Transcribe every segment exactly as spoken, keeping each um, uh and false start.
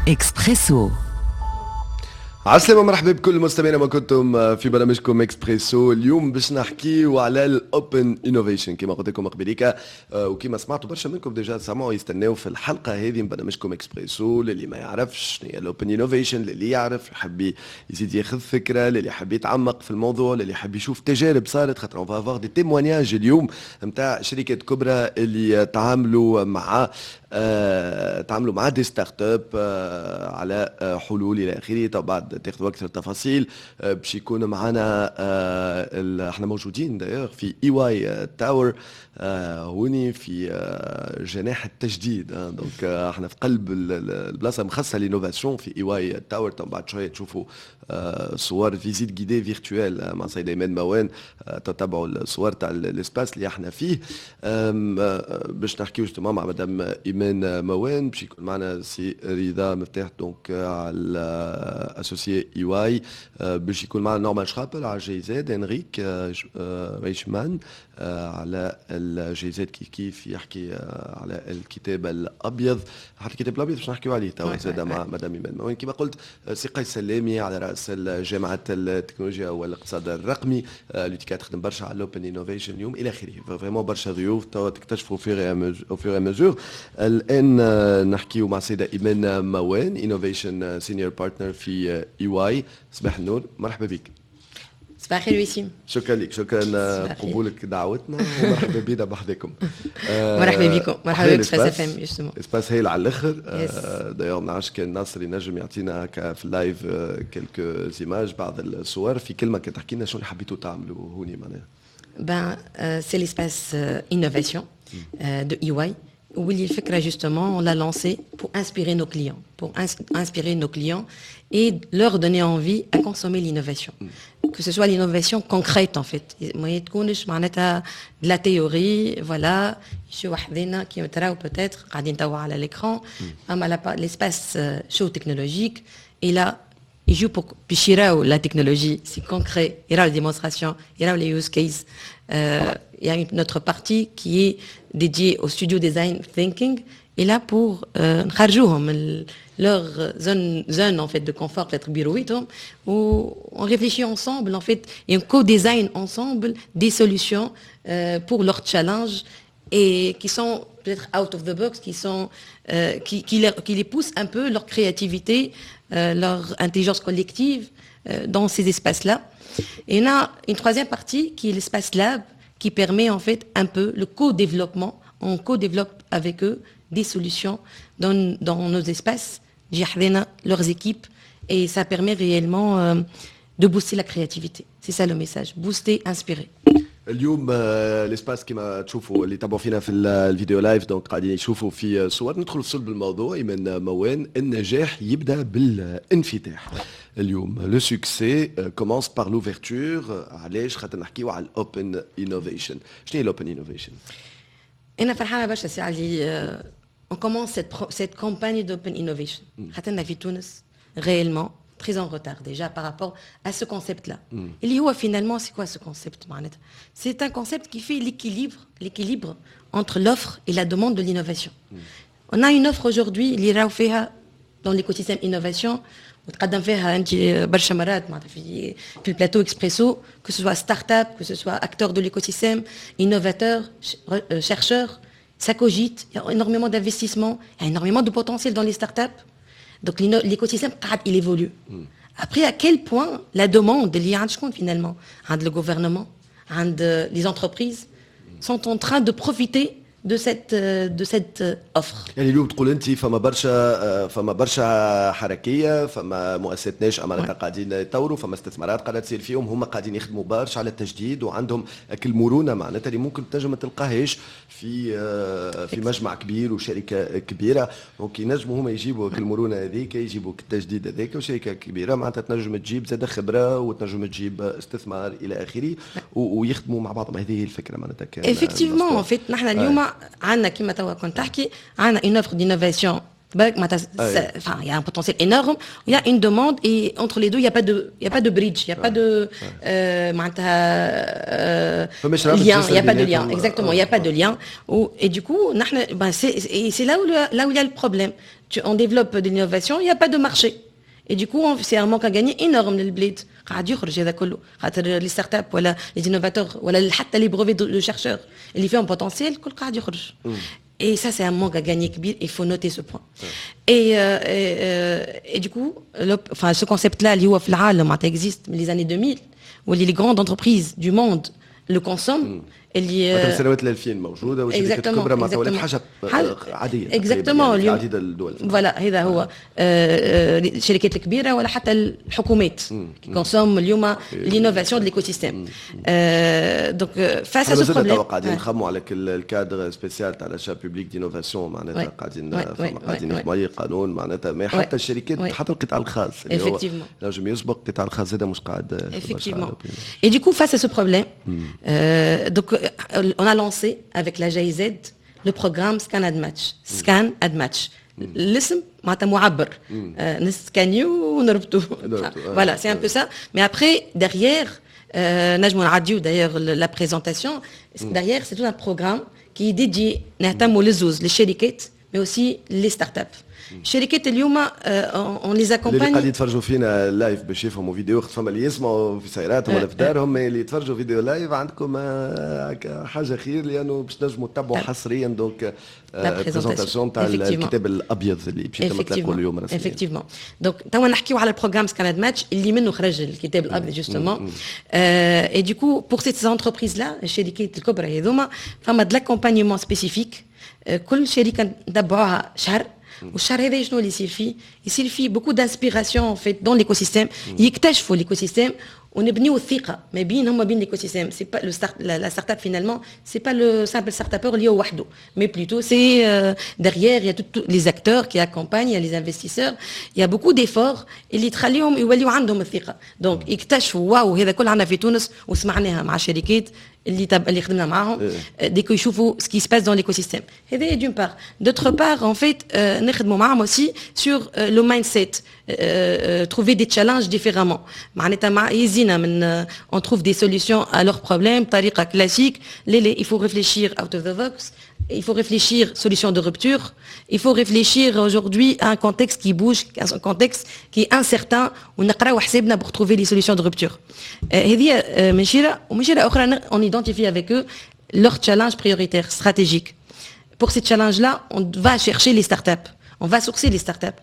اكسبريسو. عسلامة، مرحبا بكل المستمعين ما كنتم في برنامجكم اكسبريسو. اليوم باش نحكيو على ال open innovation كما قلت لكم قبليك، آه، وكما سمعتوا برشا منكم déjà سمعوا يستناو في الحلقة هذه من برنامجكم اكسبريسو. للي ما يعرفش شنو هي ال open innovation، للي يعرف يحب يزيد ياخذ فكره، للي يحب يتعمق في الموضوع، للي يحب يشوف تجارب صارت، خاطر on va avoir des témoignages اليوم نتاع شركات كبرى اللي تعاملوا مع آه تعاملوا مع des startups آه على آه حلول الى اخره. طبعا بعد تاخذوا اكثر تفاصيل. آه، باش يكون معنا آه، احنا موجودين d'ailleurs في EY Tower هوني في آه، جناح التجديد، donc احنا في قلب البلاصة مخصصة l'innovation في EY Tower. بعد شوية تشوفوا صور visite guidée virtuelle مع سيد ايمان موان، تتبعوا الصور تاع l'espace اللي احنا فيه. باش نحكيو justement مع مدام ايمان موان، باش يكون معنا سي رضا مفتاح donc على associé EY، باش يكون معنا نورمان شرابل على GIZ، انريك ريشمان على ال GIZ كيف كيف يحكي على الكتاب الابيض، حتى الكتاب الابيض باش نحكيو عليه توا زاد مع مدام ايمان موان. كما قلت سي قيس سلامي على راس جامعه التكنولوجيا والاقتصاد الرقمي l'UTICA، تخدم برشا على ال open innovation اليوم الى اخره. vraiment برشا ضيوف توا تكتشفوا في au fur et à mesure. الان نحكيو مع السيدة ايمان موان، innovation senior partner في EY. صباح النور، مرحبا بك. صباح الخير وسيم. شكرا لك، شكرا قبولك دعوتنا ومرحبا بينا بحذاكم. مرحبا بكم، مرحبا بك Express FM justement. espace هايل على الاخر. d'ailleurs ما نعرفش كان ناصر ينجم يعطينا هكا في ال live quelques images، بعض الصور. في كلمة كان تحكي لنا شنو اللي حبيتوا تعملوا هوني معناها. Ben, euh, c'est l'espace euh, innovation euh, de E Y. واللي الفكرة justement on l'a lancé pour inspirer nos clients, pour inspirer nos clients et leur donner envie à consommer l'innovation. Que ce soit l'innovation concrète en fait. ما تكونش معناتها de la théorie, voilà, يجيو وحدنا كيما تراو peut-être قاعدين توا على l'écran، اما l'espace show technologique et là يجيو باش يراو la technologie, c'est concret, يراو les démonstrations, يراو les use cases. Euh, il y a une autre partie qui est dédiée au studio design thinking et là pour euh, نخرجوهم leur zone zone en fait de confort peut-être بيرويتهم où on réfléchit ensemble en fait et on co-design ensemble des solutions euh, pour leurs challenges et qui sont peut-être out of the box, qui sont euh, qui, qui, les, qui les poussent un peu leur créativité, euh, leur intelligence collective euh, dans ces espaces-là. Et on a une troisième partie qui est l'espace lab, qui permet en fait un peu le co-développement. On co-développe avec eux des solutions dans, dans nos espaces, leurs équipes, et ça permet réellement euh, de booster la créativité. C'est ça le message, booster, inspirer. اليوم l'espace كما تشوفوا اللي تابعوا فينا في ال vidéo live، donc قاعدين يشوفوا في صور. ندخل في صلب الموضوع. ايمان موان، النجاح يبدا بالانفتاح. اليوم le succès commence par l'ouverture. علاش؟ خاطر نحكيو على ال open innovation. شنو هي ال open innovation؟ انا فرحانة برشا سي علي on commence cette, cette campagne d'open innovation. خاطرنا في تونس réellement très en retard déjà par rapport à ce concept-là. Mm. اللي هو finalement, c'est quoi ce concept معناتها؟ C'est un concept qui fait l'équilibre, l'équilibre entre l'offre et la demande de l'innovation. Mm. On a une offre aujourd'hui اللي راهو فيها dans l'écosystème innovation وتقدم فيها انت برشا مرات معناتها في في ال plateau Expresso, que ce soit start-up, que ce soit acteur de l'écosystème, innovateur, chercheur, ça cogite, il y a énormément d'investissements, il y a énormément de potentiel dans les startups. Donc l'écosystème قاعد il évolue. Mm. Après, à quel point la demande اللي عند شكون finalement؟ عند le gouvernement, عند les entreprises sont en train de profiter de cette de cette offre. يعني اليوم تقول انت فما برشا فما برشا حركيه، فما مؤسسات ناشئة معناتها قاعدين يطوروا، فما استثمارات قاعدة تصير فيهم، هما قاعدين يخدموا برشا على التجديد وعندهم المرونة معناتها اللي ممكن تنجم ما تلقاهاش في في مجمع كبير وشركه كبيره. donc ينجموا هما يجيبوا المرونة هذيك، يجيبوا التجديد هذاك، وشركه كبيرة معناتها تنجم تجيب زاد خبره وتنجم تجيب استثمار الى اخره ويخدموا مع بعضهم. هذه هي الفكرة معناتها كان. effectivement, en fait نحن اليوم عندنا كما توا كنت تحكي عندنا une offre d'innovation. Enfin, il y a un potentiel énorme, il y a une demande et entre les deux, il n'y a pas de, il y a pas de bridge, il n'y a pas de euh, lien, il n'y a pas de lien, exactement, il n'y a pas de lien. Et du coup, ben, c'est là où, là où il y a le problème. Tu, on développe de l'innovation, il n'y a pas de marché. Et du coup, c'est un manque à gagner énorme للبلاد. قاعد يخرج هذا كله خاطر les startups ولا les innovateurs ولا حتى les brevets de chercheurs اللي فيهم potentiel كل قاعد يخرج. Et ça, c'est un manque à gagner كبير, il faut noter ce point. Et, euh, et, euh, et du coup, le, enfin, ce concept-là, اللي هو في العالم existe من les années deux mille, où les grandes entreprises du monde le consomment. اللي سنوات الألفين موجوده والشركات الكبرى معناتها ولات حاجه عاديه. Exactement. يعني عديد الدول. Voilà, هذا هو الشركات الكبيره ولا حتى الحكومات consomment اليوم l'innovation de l'écosystème. Donc face à ce problème قاعدين نخموا على ال cadre spécial تاع l'achat public d'innovation معناتها قاعدين قاعدين نخدموا عليه قانون معناتها ما حتى الشركات حتى القطاع الخاص اللي هو نجم يسبق القطاع الخاص هذا مش قاعد. Effectivement. Et du coup, face à ce problème, euh, donc on a lancé avec la G I Z le programme Scan and Match. Scan and Match. الاسم معناتها معبر نسكانيو ونربطو, voilà, c'est un peu ça. Mais après, derrière, نجمو نعديو d'ailleurs la présentation, derrière, c'est tout un programme qui est dédié نهتموا للزوز للشركات mais aussi les startups. الشركات اليوم on les accompagne. اللي قاعدين يتفرجوا فينا live باش يفهموا فيديو خاطر فما اللي يسمعوا في سياراتهم ولا في دارهم اللي يتفرجوا فيديو live عندكم حاجه خير لانه باش تنجموا تتبعوا حصريا donc présentation تاع الكتاب الابيض اللي باش يتم اطلاقه اليوم رسميا. Effectivement, donc توا نحكيو على ال programme Scan and Match اللي منه خرج الكتاب الابيض justement. Et du coup, pour ces entreprises-là, الشركات الكبرى هذوما فما de l'accompagnement spécifique. كل شركه نتبعوها شهر والشهر هذا شنو اللي يصير فيه؟ يصير فيه beaucoup d'inspiration en fait dans l'écosystème, يكتشفوا l'écosystème ونبنيو الثقه ما بينهم وما بين l'écosystème. C'est pas le start la startup finalement, c'est pas le simple startuppeur اللي هو وحده, mais plutôt c'est derrière, il y a tous les acteurs qui accompagnent, il y a les investisseurs, il y a beaucoup d'efforts اللي تخليهم يوليو عندهم الثقه donc يكتشفوا واو هذا كل عندنا في تونس وسمعناها مع شركات اللي تب... اللي خدمنا معاهم dès que يشوفوا ce qui se passe dans l'écosystème. هذا d'une part. D'autre part, en fait, نخدموا معاهم aussi sur le mindset, trouver des challenges différemment. معناتها مع يزينا من on trouve des solutions à leurs problèmes بطريقه classique. لا لا, il faut réfléchir out of the box, il faut réfléchir solution de rupture, il faut réfléchir aujourd'hui à un contexte qui bouge, à un contexte qui est incertain ونقراو حسابنا pour trouver les solutions de rupture. هذه من شيرة ومن شيرة أخرى on identifie avec eux leurs challenges prioritaires stratégiques. Pour ces challenges-là, on va chercher les startups, on va sourcer les startups.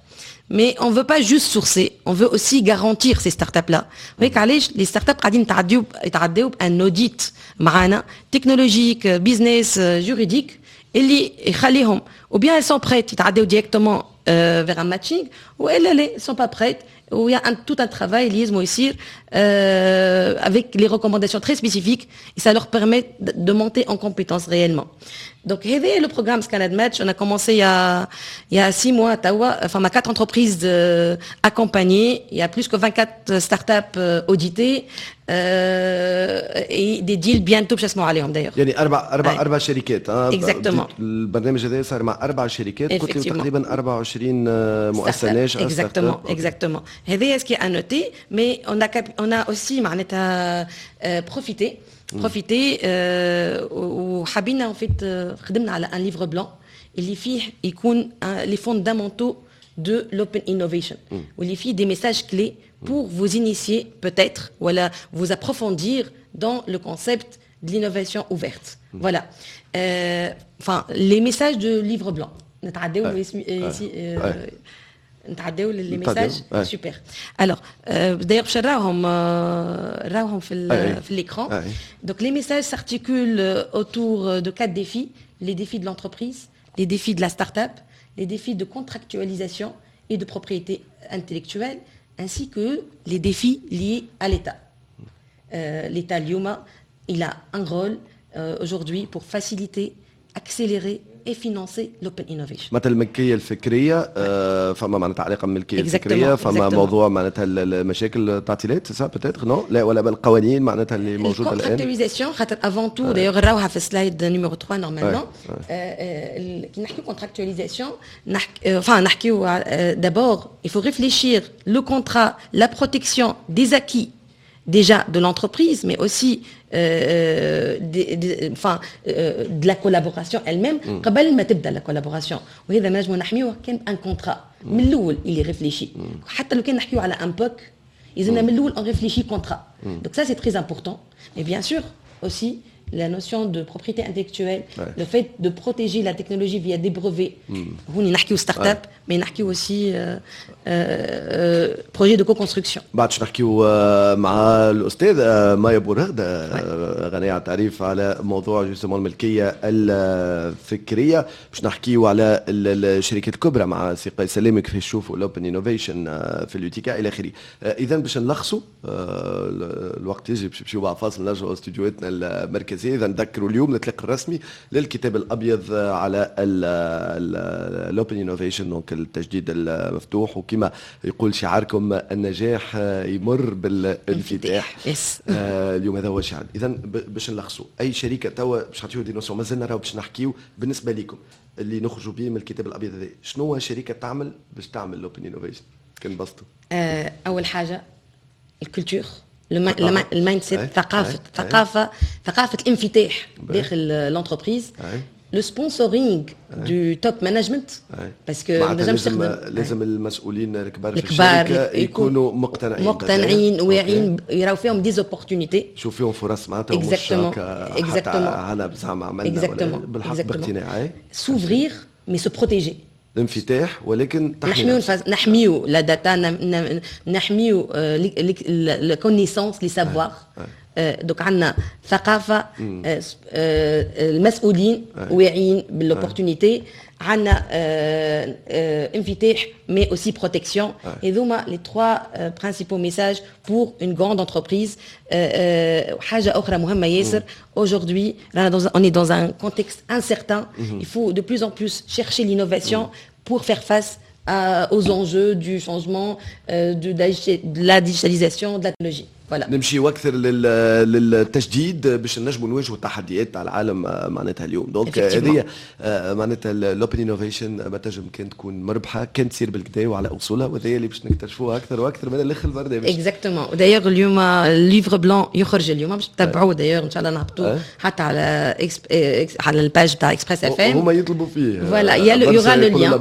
Mais on ne veut pas juste sourcer, on veut aussi garantir ces startups-là. Vous voyez, les startups قاعدين يتعديو يتعديو un audit معانا technologique, business, juridique اللي يخليهم ou bien elles sont prêtes يتعديو directement euh, vers un matching ou elles elles sont pas prêtes où il y a un, tout un travail اللي يلزمو يصير euh, avec les recommandations très spécifiques et ça leur permet de, de monter en compétences réellement. Donc هذا le programme Scan and Match, on a commencé il y a, il y a six mois توا, enfin quatre entreprises euh, accompagnées, il y a plus que vingt-quatre startups euh, auditées euh, et des deals bientôt باش نسمعوا عليهم d'ailleurs. يعني اربع اربع اربع شركات. اه Exactement. البرنامج هذا صار مع اربع شركات قلت لي تقريبا أربعة وعشرين مؤسسه ناشئه. Exactement, exactement. هذا ce qui est à noter, mais on a on a aussi معناتها profité profité وحبينا en fait خدمنا على un livre blanc اللي فيه يكون les fondamentaux de l'open innovation واللي فيه des messages clés pour vous initier peut-être ولا vous approfondir dans le concept de l'innovation ouverte. Voilà. Euh, enfin, les messages de livre blanc. نتعداو ici نتعداو les messages. Super. Alors, d'ailleurs باش نراوهم راوهم في في l'écran. Donc les messages s'articulent autour de quatre défis: les défis de l'entreprise, les défis de la start-up, les défis de contractualisation et de propriété intellectuelle, ainsi que les défis liés à l'État. Euh, L'État اليوم, il a un rôle euh, aujourd'hui pour faciliter, accélérer et financer l'open innovation. مثلا الملكية الفكريه، آه فما معناتها علاقة بالملكيه الفكريه، فما موضوع معناتها المشاكل، التعطيلات، ça peut-être non، لا ولا بالقوانين معناتها اللي موجودة الان. ال contractualisation خاطر avant tout، d'ailleurs راوها في slide numéro ثلاثة normalement. كي نحكيو contractualisation، نحكي enfin نحكيو d'abord il faut réfléchir le contrat، la protection des acquis déjà de l'entreprise، mais aussi euh, des, des, enfin, euh, de la collaboration elle-même قبل ما تبدا la collaboration. وهذا ما نجمو نحميوه كان un contrat من الاول اللي réfléchi. حتى لو كان نحكيو على un POC، يلزمنا من الاول on réfléchit contrat. donc ça c'est très important، mais bien sûr aussi la notion de propriété intellectuelle، ouais. le fait de protéger la technologie via des brevets. هوني نحكيو start-up، mais نحكيو aussi euh, euh, projet de co-construction. بعد باش نحكيو مع الاستاذ مايا بورغدة، غنية عن التعريف، على موضوع justement الملكية الفكريه. باش نحكيو على الشركات الكبرى مع سي قيس سلامي، كيفاش يشوفوا ال open innovation في اليوتيكا الى اخره. اذا باش نلخصوا، الوقت يجي باش نمشيو بعد فاصل نرجعوا استديوهاتنا المركزيه. اذا نذكروا اليوم الاطلاق الرسمي للكتاب الابيض على ال open innovation، donc التجديد المفتوح، وكما يقول شعاركم النجاح يمر بالانفتاح. آه اليوم هذا هو الشعار. اذا باش نلخصوا، اي شركة توا باش نعطيو des notions، مازلنا راهو باش نحكيو، بالنسبة لكم اللي نخرجوا به من الكتاب الابيض هذا، شنو هو شركة تعمل باش تعمل ال open innovation كان بسطوا؟ آه اول حاجة ال culture، ال mindset، ثقافه ثقافه ثقافة الانفتاح داخل l'entreprise، le sponsoring du top management، parce que لازم لازم المسؤولين الكبار في الشركة يكونوا مقتنعين. مقتنعين، واعيين، يراو فيهم des opportunités. يشوف فيهم فرص معناتها. exactement. exactement. هنا زعما عملنا بالحق باقتناع. s'ouvrir mais se protéger. الانفتاح ولكن نحميو نحميو la data، نحميو la connaissance، les savoirs. donc عندنا ثقافه، المسؤولين واعيين بال opportunité، عندنا انفتاح mais aussi protection. هذوما les trois principaux messages pour une grande entreprise. حاجة اخرى مهمة ياسر، aujourd'hui on est dans un contexte incertain، il faut de plus en plus chercher l'innovation pour faire face à, aux enjeux du changement، euh, de, de la digitalisation، de la technologie. voilà. نمشيو اكثر للتجديد باش نجموا نواجهوا التحديات تاع العالم معناتها اليوم. donc هذه معناتها ال open innovation ما تنجم كان تكون مربحة كان تصير بالكدا وعلى اصولها، وهذا اللي باش نكتشفوها اكثر واكثر من الاخر البرنامج. exactement. d'ailleurs اليوم ال livre blanc يخرج اليوم، باش تتبعوه. d'ailleurs ان شاء الله نهبطوه حتى على على ال page تاع Express FM. هما يطلبوا فيه. voilà، il y aura le lien،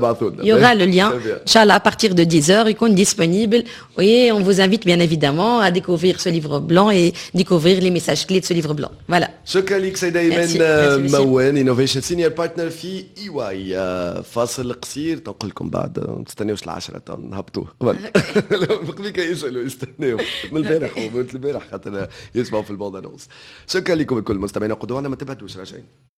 il y aura le lien ان شاء الله à partir de dix heures يكون disponible، et on vous invite bien évidemment à découvrir ce livre blanc et découvrir les messages clés de ce livre blanc. Voilà. شكرا لك سيدة ايمان موان، innovation senior partner في EY. فاصل قصير تنقل لكم بعد، ما تستناوش العشرة، نهبطوه قبل قبل يسالوا، يستناو من البارح ومن البارح خاطر يسمعوا في ال bande-annonce. شكرا لكم الكل مستمعينا، قدونا ما تبعدوش، راجعين.